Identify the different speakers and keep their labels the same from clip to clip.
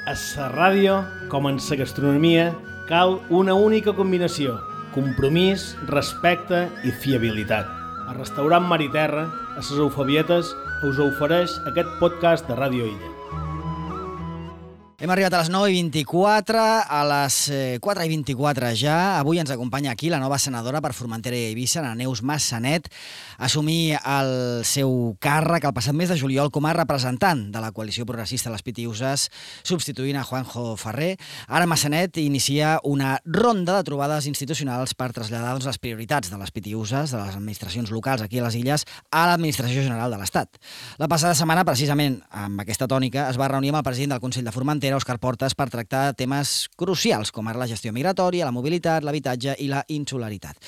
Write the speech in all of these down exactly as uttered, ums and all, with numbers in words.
Speaker 1: A la ràdio, com en la gastronomia, cal una única combinació: compromís, respecte i fiabilitat. El restaurant Mar i Terra, a les Eufebietes, us ofereix aquest podcast de Ràdio Illa.
Speaker 2: Hem arribat a les nou i vint-i-quatre, a les quatre i vint-i-quatre ja. Avui ens acompanya aquí la nova senadora per Formentera i Eivissa, la Neus Massanet, assumir el seu càrrec el passat mes de juliol com a representant de la coalició progressista de les Pitiüses, substituint a Juanjo Ferrer. Ara Massanet inicia una ronda de trobades institucionals per traslladar doncs, les prioritats de les Pitiüses, de les administracions locals aquí a les Illes, a l'Administració General de l'Estat. La passada setmana, precisament amb aquesta tònica, es va reunir amb el president del Consell de Formentera, Òscar Portas, per tractar temes crucials com ara la gestió migratòria, la mobilitat, l'habitatge i la insularitat.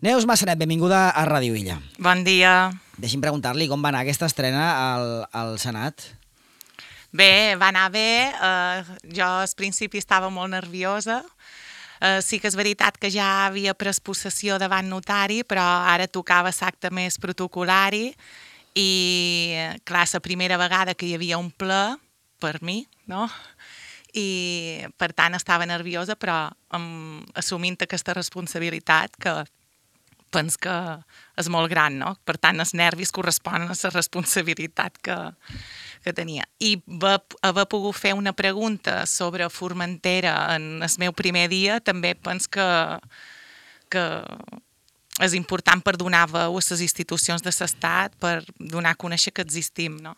Speaker 2: Neus Massanet, benvinguda a Ràdio Illa.
Speaker 3: Bon dia.
Speaker 2: Deixi'm preguntar-li com va anar aquesta estrena al, al Senat.
Speaker 3: Bé, va anar bé. Uh, jo al principi estava molt nerviosa. Uh, sí que és veritat que ja havia pres possessió davant notari, però ara tocava l'acte més protocolari i, clar, la primera vegada que hi havia un ple, per mi, no? I per tant estava nerviosa, però um, assumint aquesta responsabilitat que penso que és molt gran, no? Per tant, els nervis corresponen a la responsabilitat que, que tenia. I va, haver pogut fer una pregunta sobre Formentera en el meu primer dia també penso que, que és important per donar veu a les institucions de l'Estat, per donar a conèixer que existim, no?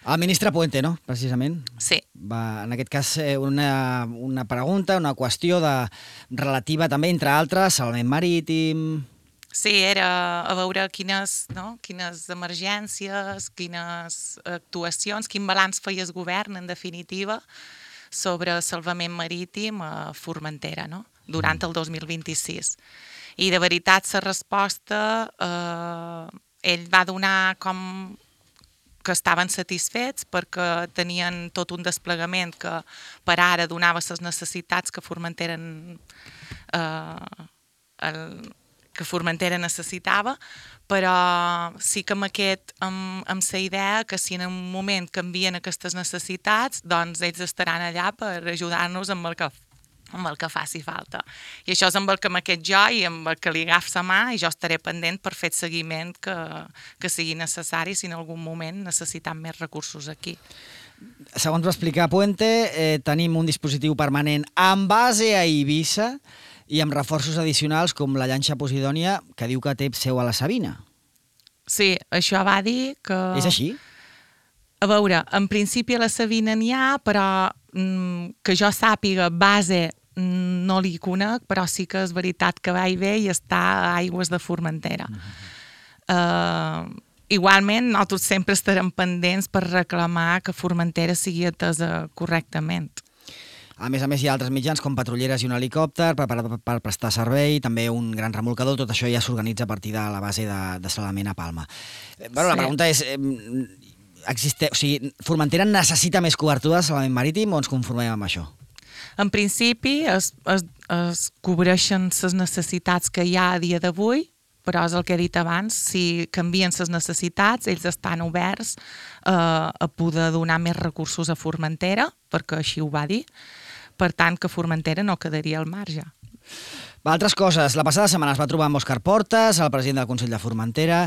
Speaker 2: El ministre Puente, no?, precisament.
Speaker 3: Sí.
Speaker 2: Va, en aquest cas, una, una pregunta, una qüestió de, relativa també, entre altres, salvament marítim...
Speaker 3: Sí, era a veure quines, no? quines emergències, quines actuacions, quin balanç feia el govern, en definitiva, sobre salvament marítim a Formentera, no? Durant el dos mil vint-i-sis. I, de veritat, la resposta, eh, ell va donar com que estaven satisfets perquè tenien tot un desplegament que per ara donava les necessitats que Formentera, eh, el, que Formentera necessitava, però sí que amb aquest, amb, amb la idea que si en un moment canvien aquestes necessitats, doncs ells estaran allà per ajudar-nos amb el que amb el que faci falta. I això és amb el que m'aquest jo i amb el que li agaf la mà, i jo estaré pendent per fer el seguiment que, que sigui necessari si en algun moment necessitam més recursos aquí.
Speaker 2: Segons va explicar Puente, eh, tenim un dispositiu permanent amb base a Eivissa i amb reforços addicionals com la llanxa Posidònia, que diu que té seu a la Sabina.
Speaker 3: Sí, això va dir que...
Speaker 2: És així?
Speaker 3: A veure, en principi a la Sabina n'hi ha, però mm, que jo sàpiga base no li conec, però sí que és veritat que va i ve i està a aigües de Formentera. Uh-huh. Uh, igualment, nosaltres sempre estarem pendents per reclamar que Formentera sigui atesa correctament.
Speaker 2: A més a més, hi ha altres mitjans com patrulleres i un helicòpter per, per, per prestar servei, també un gran remolcador, tot això ja s'organitza a partir de la base de, de salvament a Palma. Bueno, sí. La pregunta és... Eh, existe, o sigui, Formentera necessita més cobertura de salvament marítim o ens conformem amb això?
Speaker 3: En principi es, es, es cobreixen les necessitats que hi ha a dia d'avui, però és el que he dit abans, si canvien les necessitats, ells estan oberts eh, a poder donar més recursos a Formentera, perquè així ho va dir, per tant que Formentera no quedaria al marge.
Speaker 2: Va, altres coses. La passada setmana es va trobar amb Òscar Portas, el president del Consell de Formentera.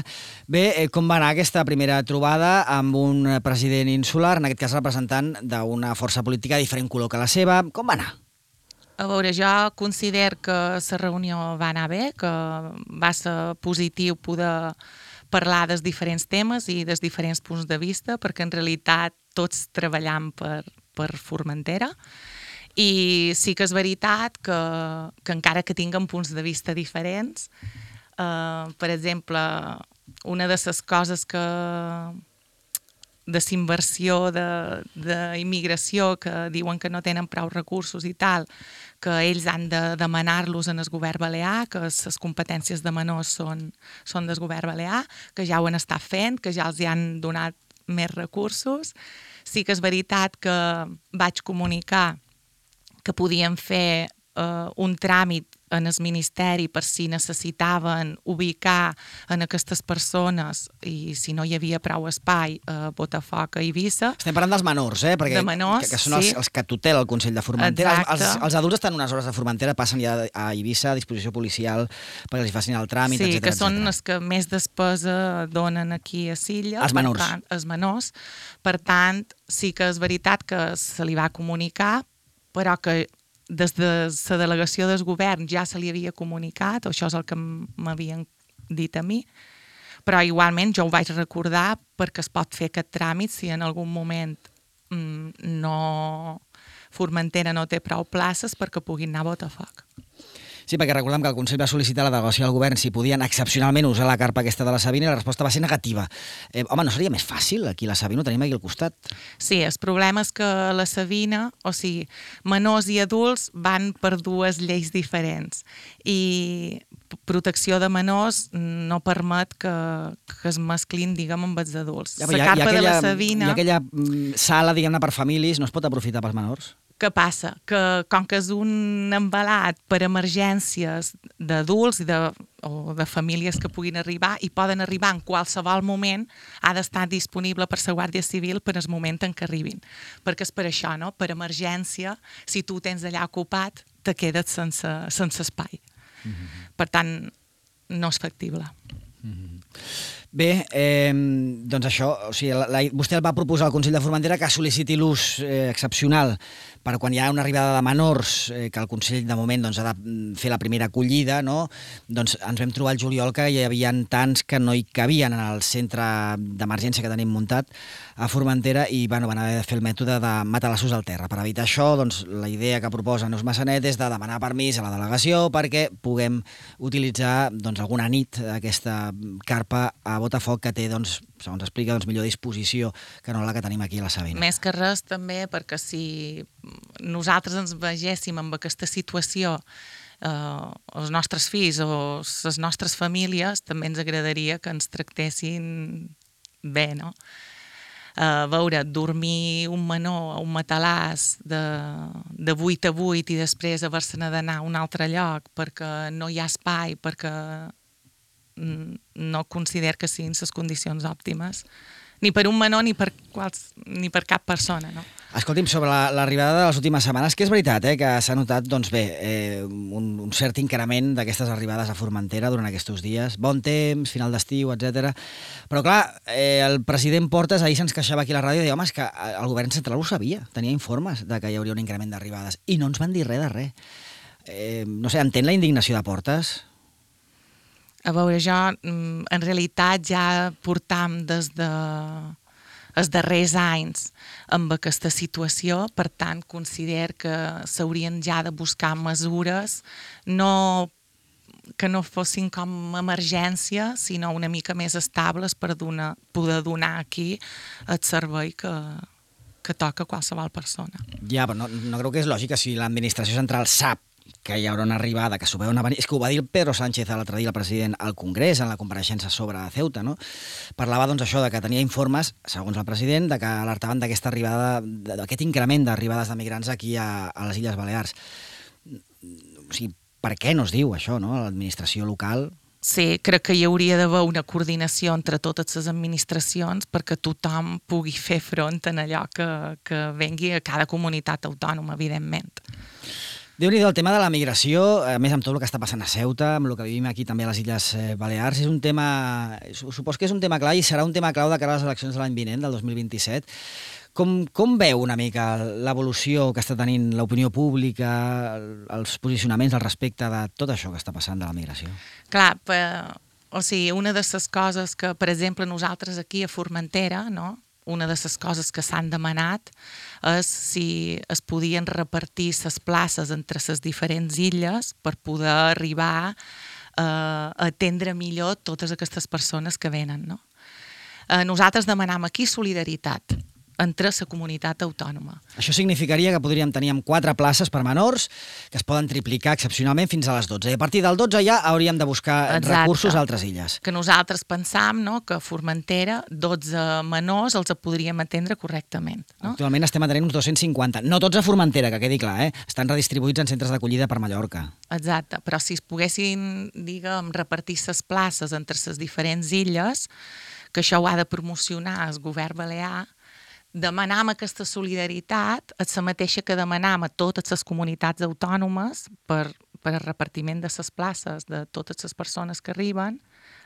Speaker 2: Bé, eh, com va anar aquesta primera trobada amb un president insular, en aquest cas representant d'una força política de diferent color que la seva? Com va anar?
Speaker 3: A veure, jo considero que la reunió va anar bé, que va ser positiu poder parlar dels diferents temes i dels diferents punts de vista, perquè en realitat tots treballem per, per Formentera. I sí que és veritat que, que encara que tinguem punts de vista diferents, eh, per exemple, una de les coses que de l'inversió d'immigració que diuen que no tenen prou recursos i tal, que ells han de demanar-los en el govern balear, que les competències de menors són, són del govern balear, que ja ho han estat fent, que ja els hi han donat més recursos. Sí que és veritat que vaig comunicar que podíem fer eh, un tràmit en el Ministeri per si necessitaven ubicar en aquestes persones i si no hi havia prou espai a Botafoc, a Eivissa.
Speaker 2: Estem parlant dels menors, eh? Perquè,
Speaker 3: de menors,
Speaker 2: que, que són els,
Speaker 3: sí.
Speaker 2: els que tutela el Consell de Formentera.
Speaker 3: Exacte.
Speaker 2: Els, els adults estan unes hores de Formentera, passen ja a Eivissa a disposició policial perquè els facin el tràmit,
Speaker 3: sí,
Speaker 2: etcètera.
Speaker 3: que són
Speaker 2: etcètera.
Speaker 3: els que més despesa donen aquí a Silla.
Speaker 2: Els menors.
Speaker 3: Per tant, els menors. Per tant, sí que és veritat que se li va comunicar, però que des de la delegació del govern ja se li havia comunicat, això és el que m'havien dit a mi, però igualment jo ho vaig recordar perquè es pot fer aquest tràmit si en algun moment mm, no... Formentera no té prou places perquè puguin anar a Botafoc.
Speaker 2: Sí, perquè recordem que el Consell va sol·licitar a la delegació del govern si podien excepcionalment usar la carpa aquesta de la Sabina i la resposta va ser negativa. Eh, home, no seria més fàcil? Aquí la Sabina ho tenim aquí al costat.
Speaker 3: Sí, el problema és que la Sabina, o sigui, menors i adults van per dues lleis diferents i protecció de menors no permet que, que es mesclin, diguem, amb els adults.
Speaker 2: Ja,
Speaker 3: la
Speaker 2: hi ha,
Speaker 3: carpa
Speaker 2: hi ha aquella,
Speaker 3: de la Sabina...
Speaker 2: Hi ha aquella mm, sala, diguem-ne, per famílies, no es pot aprofitar pels menors?
Speaker 3: Què passa? Que com que és un embalat per emergències d'adults i de, o de famílies que puguin arribar i poden arribar en qualsevol moment, ha d'estar disponible per la Guàrdia Civil per al moment en què arribin. Perquè és per això, no? Per emergència, si tu tens allà ocupat, te quedes sense, sense espai. Mm-hmm. Per tant, no és factible.
Speaker 2: Mm-hmm. Bé, eh, doncs això, o sigui, la, la, vostè el va proposar al Consell de Formentera que sol·liciti l'ús eh, excepcional per quan hi ha una arribada de menors, eh, que el Consell de moment doncs, ha de fer la primera acollida, no? Doncs ens vam trobar al juliol que hi havia tants que no hi cabien en el centre d'emergència que tenim muntat a Formentera i bueno, van haver de fer el mètode de matalassos al terra. Per evitar això, doncs, la idea que proposa Neus Massanet és de demanar permís a la delegació perquè puguem utilitzar doncs, alguna nit aquesta carpa a Botafoc que té, doncs, segons explica, doncs, millor disposició que no la que tenim aquí a la Sabina.
Speaker 3: Més que res també perquè si nosaltres ens vegéssim en aquesta situació, eh, els nostres fills o les nostres famílies, també ens agradaria que ens tractessin bé, no? A veure, dormir un menor a un matalàs de, de vuit a vuit i després haver-se'n d'anar a un altre lloc perquè no hi ha espai, perquè no considero que siguin les condicions òptimes, ni per un menor ni per, quals, ni per cap persona, no?
Speaker 2: Escolti'm, sobre l'arribada de les últimes setmanes, que és veritat, eh, que s'ha notat, doncs bé, eh, un, un cert increment d'aquestes arribades a Formentera durant aquests dies. Bon temps, final d'estiu, etcètera. Però clar, eh, el president Portes ahir se'ns queixava aquí a la ràdio i deia, home, és que el govern central ho sabia, tenia informes de que hi hauria un increment d'arribades i no ens van dir res de res. Eh, no sé, entén la indignació de Portes?
Speaker 3: A veure, jo en realitat ja portam des de els darrers anys amb aquesta situació, per tant considero que s'haurien ja de buscar mesures no que no fossin com emergència, sinó una mica més estables per donar, poder donar aquí el servei que, que toca a qualsevol persona.
Speaker 2: Ja, però no, no creu que és lògic que si l'administració central sap que hi haurà una arribada, que s'ho veuen a venir... És que ho va dir el Pedro Sánchez l'altre dia, el president, al Congrés, en la compareixença sobre Ceuta, no? Parlava, doncs, això, de que tenia informes, segons el president, de que alertaven d'aquesta arribada, d'aquest increment d'arribades de migrants aquí a, a les Illes Balears. O sigui, per què no es diu això, no?, a l'administració local?
Speaker 3: Sí, crec que hi hauria d'haver una coordinació entre totes les administracions perquè tothom pugui fer front en allò que, que vengui a cada comunitat autònoma, evidentment.
Speaker 2: Déu-n'hi-do, el tema de la migració, a més amb tot el que està passant a Ceuta, amb el que vivim aquí també a les Illes Balears, és un tema, supos que és un tema clar i serà un tema clau de cara a les eleccions de l'any vinent, del dos mil vint-i-set. Com, com veu una mica l'evolució que està tenint l'opinió pública, els posicionaments al respecte de tot això que està passant de la migració?
Speaker 3: Clar, per, o sigui, una de les coses que, per exemple, nosaltres aquí a Formentera, no?, una de les coses que s'han demanat és si es podien repartir les places entre les diferents illes per poder arribar eh, a atendre millor totes aquestes persones que venen, no? Eh, nosaltres demanam aquí solidaritat, entre la comunitat autònoma.
Speaker 2: Això significaria que podríem tenir amb quatre places per menors que es poden triplicar excepcionalment fins a les dotze. I a partir del dotze ja hauríem de buscar Exacte. recursos a altres illes.
Speaker 3: Que nosaltres pensam, no?, que a Formentera dotze menors els podríem atendre correctament. No?
Speaker 2: Actualment estem atenent uns dos-cents cinquanta. No tots a Formentera, que quedi clar, eh? Estan redistribuïts en centres d'acollida per Mallorca.
Speaker 3: Exacte, però si es poguessin, diguem, repartir les places entre les diferents illes, que això ho ha de promocionar el govern balear, demanam aquesta solidaritat és la mateixa que demanam a totes les comunitats autònomes per, per al repartiment de les places de totes les persones que arriben.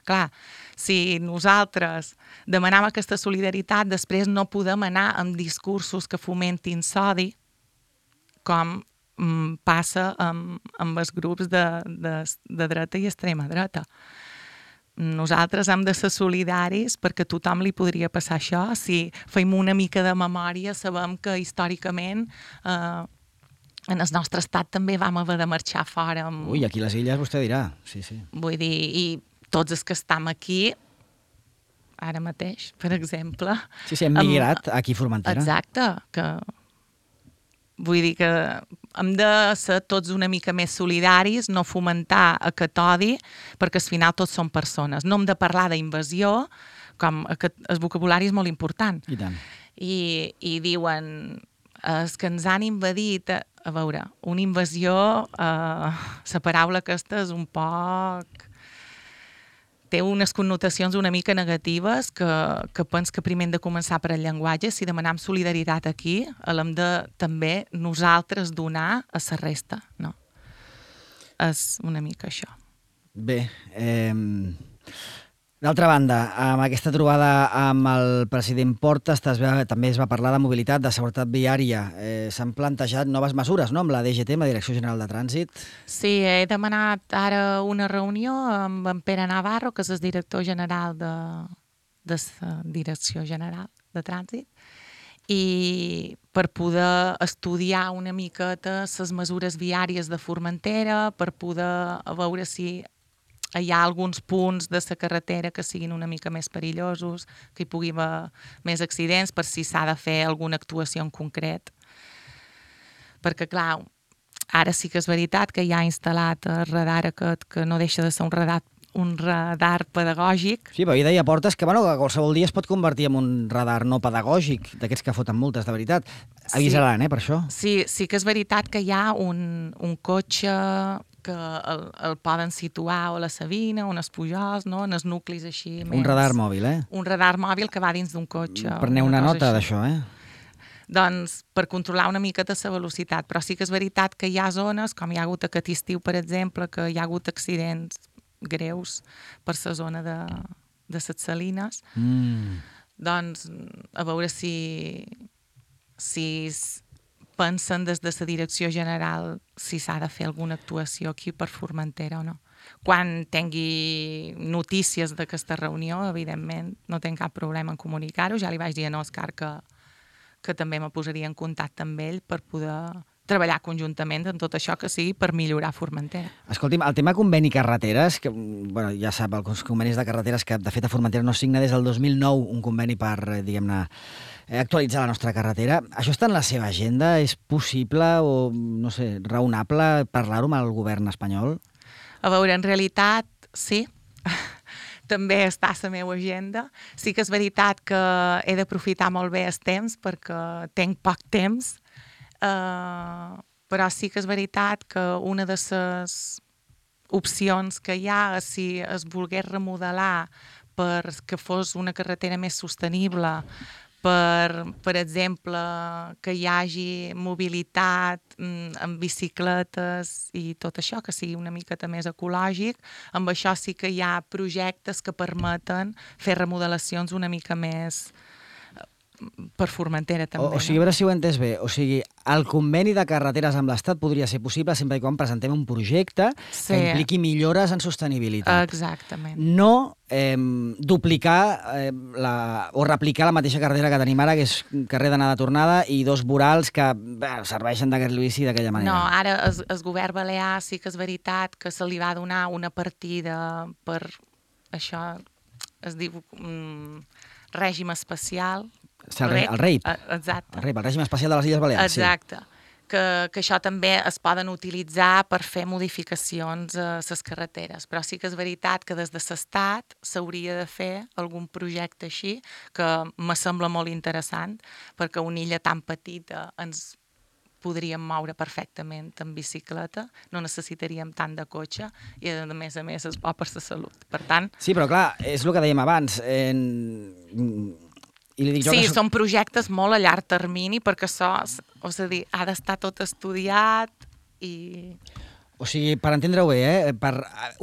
Speaker 3: Clar, si nosaltres demanam aquesta solidaritat, després no podem anar amb discursos que fomentin l'odi, com mm, passa amb, amb els grups de, de, de dreta i extrema dreta. Nosaltres hem de ser solidaris perquè a tothom li podria passar això. Si feim una mica de memòria, sabem que històricament eh, en el nostre estat també vam haver de marxar fora. Amb...
Speaker 2: Ui, aquí les illes vostè dirà, sí, sí.
Speaker 3: Vull dir, i tots els que estem aquí, ara mateix, per exemple...
Speaker 2: Sí, sí, hem migrat amb... aquí a Formentera.
Speaker 3: Exacte, que... Vull dir que hem de ser tots una mica més solidaris, no fomentar aquest odi, perquè al final tots són persones. No hem de parlar d'invasió, com aquest, el vocabulari és molt important.
Speaker 2: I tant.
Speaker 3: I, i diuen, els que ens han invadit, a, a veure, una invasió, eh, la paraula aquesta és un poc... té unes connotacions una mica negatives que, que pens que primer hem de començar per el llenguatge. Si demanem solidaritat aquí, l'hem de també nosaltres donar a la resta, no? És una mica això.
Speaker 2: Bé, eh, d'altra banda, amb aquesta trobada amb el president Portas també es va parlar de mobilitat, de seguretat viària. Eh, S'han plantejat noves mesures, no?, amb la D G T, amb la Direcció General de Trànsit.
Speaker 3: Sí, he demanat ara una reunió amb en Pere Navarro, que és el director general de, de la Direcció General de Trànsit, i per poder estudiar una miqueta les mesures viàries de Formentera, per poder veure si hi ha alguns punts de la carretera que siguin una mica més perillosos, que hi pugui haver més accidents, per si s'ha de fer alguna actuació en concret. Perquè, clar, ara sí que és veritat que hi ha instal·lat el radar aquest, que no deixa de ser un radar, un radar pedagògic.
Speaker 2: Sí, però ahir deia Portas que, bueno, que qualsevol dia es pot convertir en un radar no pedagògic, d'aquests que foten multes, de veritat. Avisaran, sí, eh, per això.
Speaker 3: Sí, sí que és veritat que hi ha un, un cotxe que el, el poden situar o a la Sabina o en els Pujols, no?, en els nuclis així més...
Speaker 2: Un radar mòbil, eh?
Speaker 3: Un radar mòbil que va dins d'un cotxe.
Speaker 2: Preneu una, una nota d'això, eh?
Speaker 3: Doncs per controlar una miqueta la velocitat, però sí que és veritat que hi ha zones, com hi ha hagut aquest estiu, per exemple, que hi ha hagut accidents greus per la zona de, de les Salines,
Speaker 2: mm.
Speaker 3: doncs a veure si... si pensen des de la Direcció General si s'ha de fer alguna actuació aquí per Formentera o no. Quan tingui notícies d'aquesta reunió, evidentment, no tinc cap problema en comunicar-ho. Ja li vaig dir a Òscar que, que també me posaria en contacte amb ell per poder treballar conjuntament en tot això que sigui per millorar Formentera.
Speaker 2: Escolti'm, el tema conveni carreteres, que bueno, ja sap, els convenis de carreteres, que de fet a Formentera no signa des del dos mil nou un conveni per, diguem-ne, actualitzar la nostra carretera. Això està en la seva agenda? És possible o, no sé, raonable parlar-ho amb el govern espanyol?
Speaker 3: A veure, en realitat, sí. També està a la meva agenda. Sí que és veritat que he d'aprofitar molt bé el temps perquè tinc poc temps, uh, però sí que és veritat que una de les opcions que hi ha és si es volgués remodelar perquè fos una carretera més sostenible, per, per exemple, que hi hagi mobilitat mm, amb bicicletes i tot això, que sigui una miqueta més ecològic. Amb això sí que hi ha projectes que permeten fer remodelacions una mica més per Formentera també.
Speaker 2: O, o sigui, a veure si ho he entès bé, o sigui, el conveni de carreteres amb l'Estat podria ser possible sempre i quan presentem un projecte sí. que impliqui millores en sostenibilitat.
Speaker 3: Exactament.
Speaker 2: No eh, duplicar eh, la, o replicar la mateixa carretera que tenim ara, que és carrer d'anada-tornada i dos vorals que bé, serveixen d'aquest Lluís i d'aquella manera.
Speaker 3: No, ara el, el govern balear sí que és veritat que se li va donar una partida per això, es diu mm, règim especial.
Speaker 2: Sí, el, el REIP.
Speaker 3: Exacte.
Speaker 2: El REIP, el règim especial de les Illes Balears.
Speaker 3: Exacte. Sí. Que, que això també es poden utilitzar per fer modificacions a les carreteres. Però sí que és veritat que des de l'Estat s'hauria de fer algun projecte així, que me sembla molt interessant, perquè una illa tan petita ens podríem moure perfectament en bicicleta, no necessitaríem tant de cotxe i, a més a més, és bo per la salut. Per tant...
Speaker 2: Sí, però clar, és el que dèiem abans. En... I li dic jo
Speaker 3: sí,
Speaker 2: que...
Speaker 3: són projectes molt a llarg termini perquè això, és a dir, ha d'estar tot estudiat i...
Speaker 2: O sigui, per entendre-ho bé, eh, per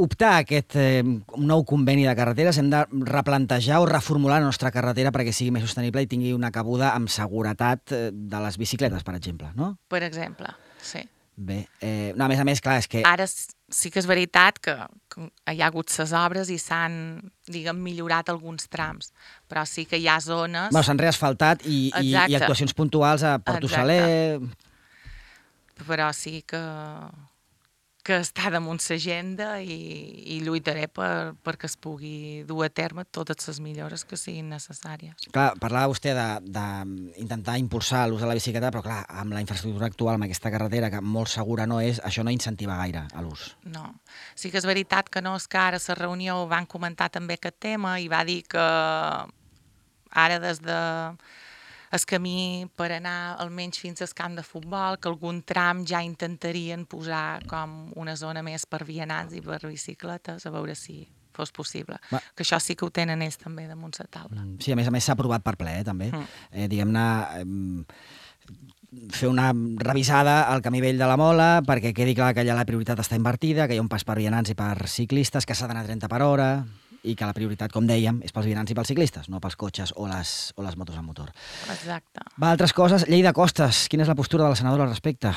Speaker 2: optar a aquest eh, nou conveni de carreteres hem de replantejar o reformular la nostra carretera perquè sigui més sostenible i tingui una cabuda amb seguretat de les bicicletes, per exemple, no?
Speaker 3: Per exemple, sí.
Speaker 2: Bé, eh, no, a més a més, clar, és que...
Speaker 3: Ara sí que és veritat que, que hi ha hagut ses obres i s'han, diguem, millorat alguns trams, però sí que hi ha zones...
Speaker 2: Bueno, s'han reasfaltat i, i, i actuacions puntuals a Porto Saler...
Speaker 3: Però sí que, que està damunt l'agenda i, i lluitaré per, perquè es pugui dur a terme totes les millores que siguin necessàries.
Speaker 2: Clar, parlava vostè d'intentar impulsar l'ús de la bicicleta, però clar, amb la infraestructura actual, amb aquesta carretera, que molt segura no és, això no incentiva gaire a l'ús.
Speaker 3: No. Sí que és veritat que no, és que ara a la reunió van comentar també aquest tema i va dir que ara des de el camí per anar almenys fins al camp de futbol, que algun tram ja intentarien posar com una zona més per vianants i per bicicletes, a veure si fos possible. Va. Que això sí que ho tenen ells també damunt la taula.
Speaker 2: Sí, a més a més s'ha aprovat per ple, eh, també. Mm. Eh, diguem-ne, eh, fer una revisada al camí vell de la Mola perquè quedi clar que allà la prioritat està invertida, que hi ha un pas per vianants i per ciclistes, que s'ha d'anar a trenta per hora... i que la prioritat, com dèiem, és pels vianants i pels ciclistes, no pels cotxes o les, o les motos amb motor.
Speaker 3: Exacte.
Speaker 2: Va, altres coses. Llei de costes. Quina és la postura de la senadora al respecte?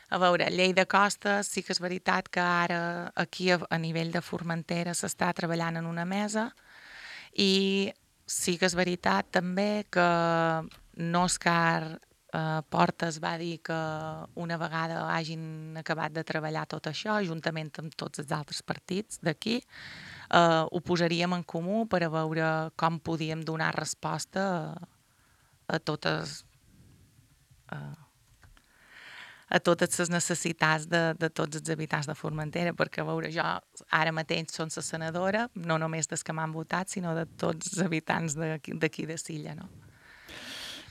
Speaker 3: A veure, llei de costes, sí que és veritat que ara aquí a, a nivell de Formentera s'està treballant en una mesa i sí que és veritat també que no és car... Uh, Portes va dir que una vegada hagin acabat de treballar tot això, juntament amb tots els altres partits d'aquí, uh, ho posaríem en comú per a veure com podíem donar resposta a, a totes uh, a totes les necessitats de, de tots els habitants de Formentera, perquè a veure, jo ara mateix som la senadora, no només dels que m'han votat, sinó de tots els habitants d'aquí de Silla, no?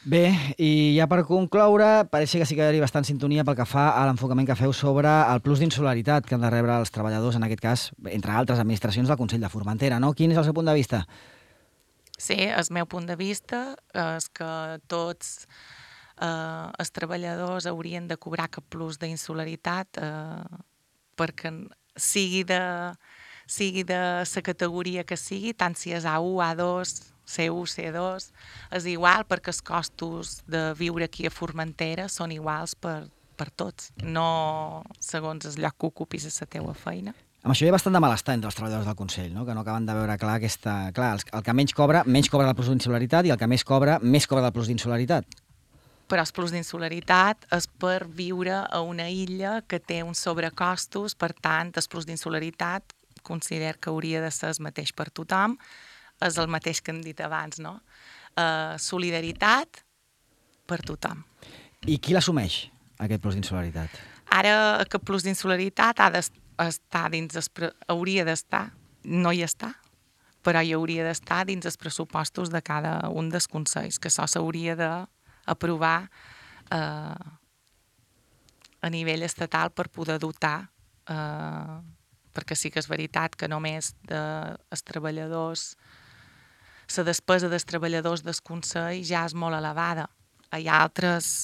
Speaker 2: Bé, i ja per concloure, pareix que sí que hi ha bastant sintonia pel que fa a l'enfocament que feu sobre el plus d'insularitat que han de rebre els treballadors, en aquest cas, entre altres administracions del Consell de Formentera, no? Quin és el seu punt de vista?
Speaker 3: Sí, el meu punt de vista és que tots eh, els treballadors haurien de cobrar cap plus d'insularitat eh, perquè sigui de, sigui de la categoria que sigui, tant si és A u, A dos... C u, C dos, és igual perquè els costos de viure aquí a Formentera són iguals per, per tots, no segons el lloc que ocupis a la teua feina.
Speaker 2: Amb això hi ha bastant de malestar entre els treballadors del Consell, no? Que no acaben de veure clar aquesta... Clar, el que menys cobra, menys cobra del plus d'insularitat i el que més cobra, més cobra del plus d'insularitat.
Speaker 3: Però el plus d'insularitat és per viure a una illa que té uns sobrecostos, per tant, el plus d'insularitat considero que hauria de ser el mateix per tothom, és el mateix que hem dit abans, no? Uh, solidaritat per tothom.
Speaker 2: I qui l'assumeix, aquest plus d'insularitat?
Speaker 3: Ara, aquest plus d'insularitat ha d'estar dins els pre... hauria d'estar, no hi està, però hi hauria d'estar dins els pressupostos de cada un dels consells, que això s'hauria d'aprovar eh, a nivell estatal per poder dotar, eh, perquè sí que és veritat que només dels treballadors la despesa dels treballadors del Consell ja és molt elevada. Hi ha altres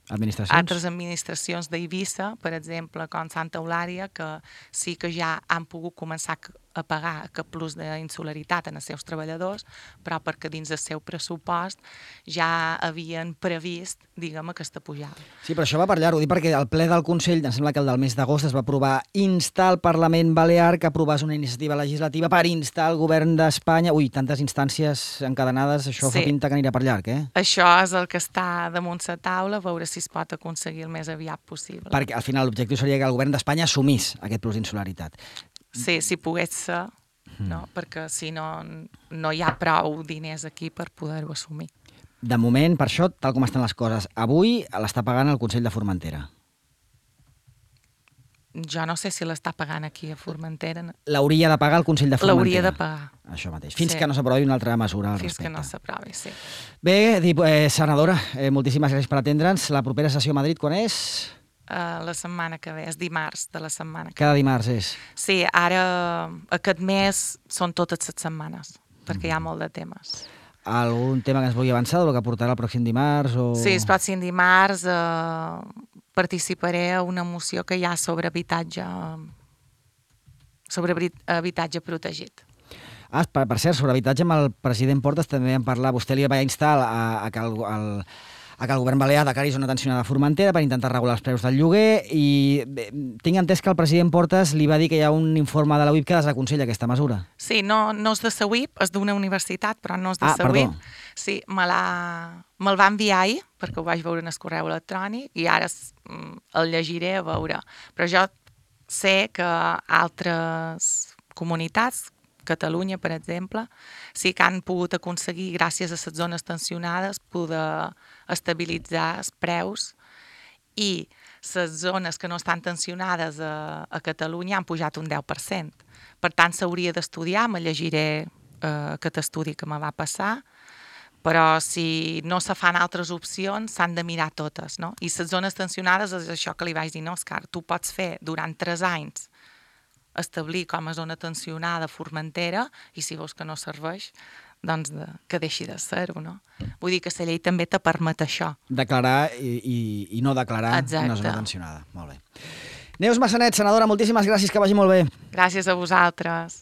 Speaker 2: administracions,
Speaker 3: altres administracions d'Eivissa, per exemple, com Santa Eulària, que sí que ja han pogut començar a pagar aquest plus d'insularitat en els seus treballadors, però perquè dins del seu pressupost ja havien previst, diguem, aquesta pujada.
Speaker 2: Sí, però això va per llarg, ho dic perquè el ple del Consell, em sembla que el del mes d'agost, es va aprovar instar al Parlament Balear que aprovés una iniciativa legislativa per instar el govern d'Espanya... Ui, tantes instàncies encadenades, això sí. Fa pinta que anirà per llarg, eh?
Speaker 3: Això és el que està damunt la taula, a veure si es pot aconseguir el més aviat possible.
Speaker 2: Perquè al final l'objectiu seria que el govern d'Espanya assumís aquest plus d'insularitat.
Speaker 3: Sí, si pogués ser, mm. no? Perquè si no, no hi ha prou diners aquí per poder-ho assumir.
Speaker 2: De moment, per això, tal com estan les coses, avui l'està pagant el Consell de Formentera.
Speaker 3: Jo no sé si l'està pagant aquí a Formentera.
Speaker 2: L'hauria de pagar el Consell de Formentera.
Speaker 3: L'hauria de pagar.
Speaker 2: Això mateix. Fins
Speaker 3: sí.
Speaker 2: que no s'aprovi una altra mesura al
Speaker 3: Fins
Speaker 2: respecte.
Speaker 3: que no s'aprovi, sí.
Speaker 2: Bé, eh, senadora, eh, moltíssimes gràcies per atendre'ns. La propera sessió a Madrid, quan és?
Speaker 3: Uh, la setmana que ve, és dimarts de la setmana que ve.
Speaker 2: Cada dimarts és?
Speaker 3: Sí, ara aquest mes són totes les setmanes, perquè mm. hi ha molt de temes.
Speaker 2: Algun tema que ens vulgui avançar del que portarà el pròxim dimarts? O...
Speaker 3: Sí, el pròxim dimarts eh, participaré a una moció que hi ha sobre habitatge sobre habitatge protegit.
Speaker 2: Ah, per, per cert, sobre habitatge amb el president Portas també vam parlar. Vostè li va instar a, a, que, el, el, a que el govern balear declari zona tensionada a Formentera per intentar regular els preus del lloguer i bé, tinc entès que el president Portas li va dir que hi ha un informe de la U I P que desaconsella aquesta mesura.
Speaker 3: Sí, no, no és de la U I P, és d'una universitat, però no és de
Speaker 2: ah,
Speaker 3: la U I P.
Speaker 2: Perdó.
Speaker 3: Sí, me me'l va enviar ahir, perquè ho vaig veure en el correu electrònic, i ara el llegiré a veure. Però jo sé que altres comunitats, Catalunya, per exemple, sí que han pogut aconseguir, gràcies a les zones tensionades, poder estabilitzar els preus, i les zones que no estan tensionades a, a Catalunya han pujat un deu per cent. Per tant, s'hauria d'estudiar, me llegiré eh, aquest estudi que me va passar, però si no se fan altres opcions, s'han de mirar totes, no? I les zones tensionades és això que li vaig dir, no, Òscar, tu pots fer durant tres anys establir com a zona tensionada Formentera i si veus que no serveix, doncs de, que deixi de ser-ho, no? Vull dir que la llei també te permet això.
Speaker 2: Declarar i, i, i no declarar
Speaker 3: Exacte.
Speaker 2: Una zona tensionada. Molt bé. Neus Massanet, senadora, moltíssimes gràcies, que vagi molt bé.
Speaker 3: Gràcies a vosaltres.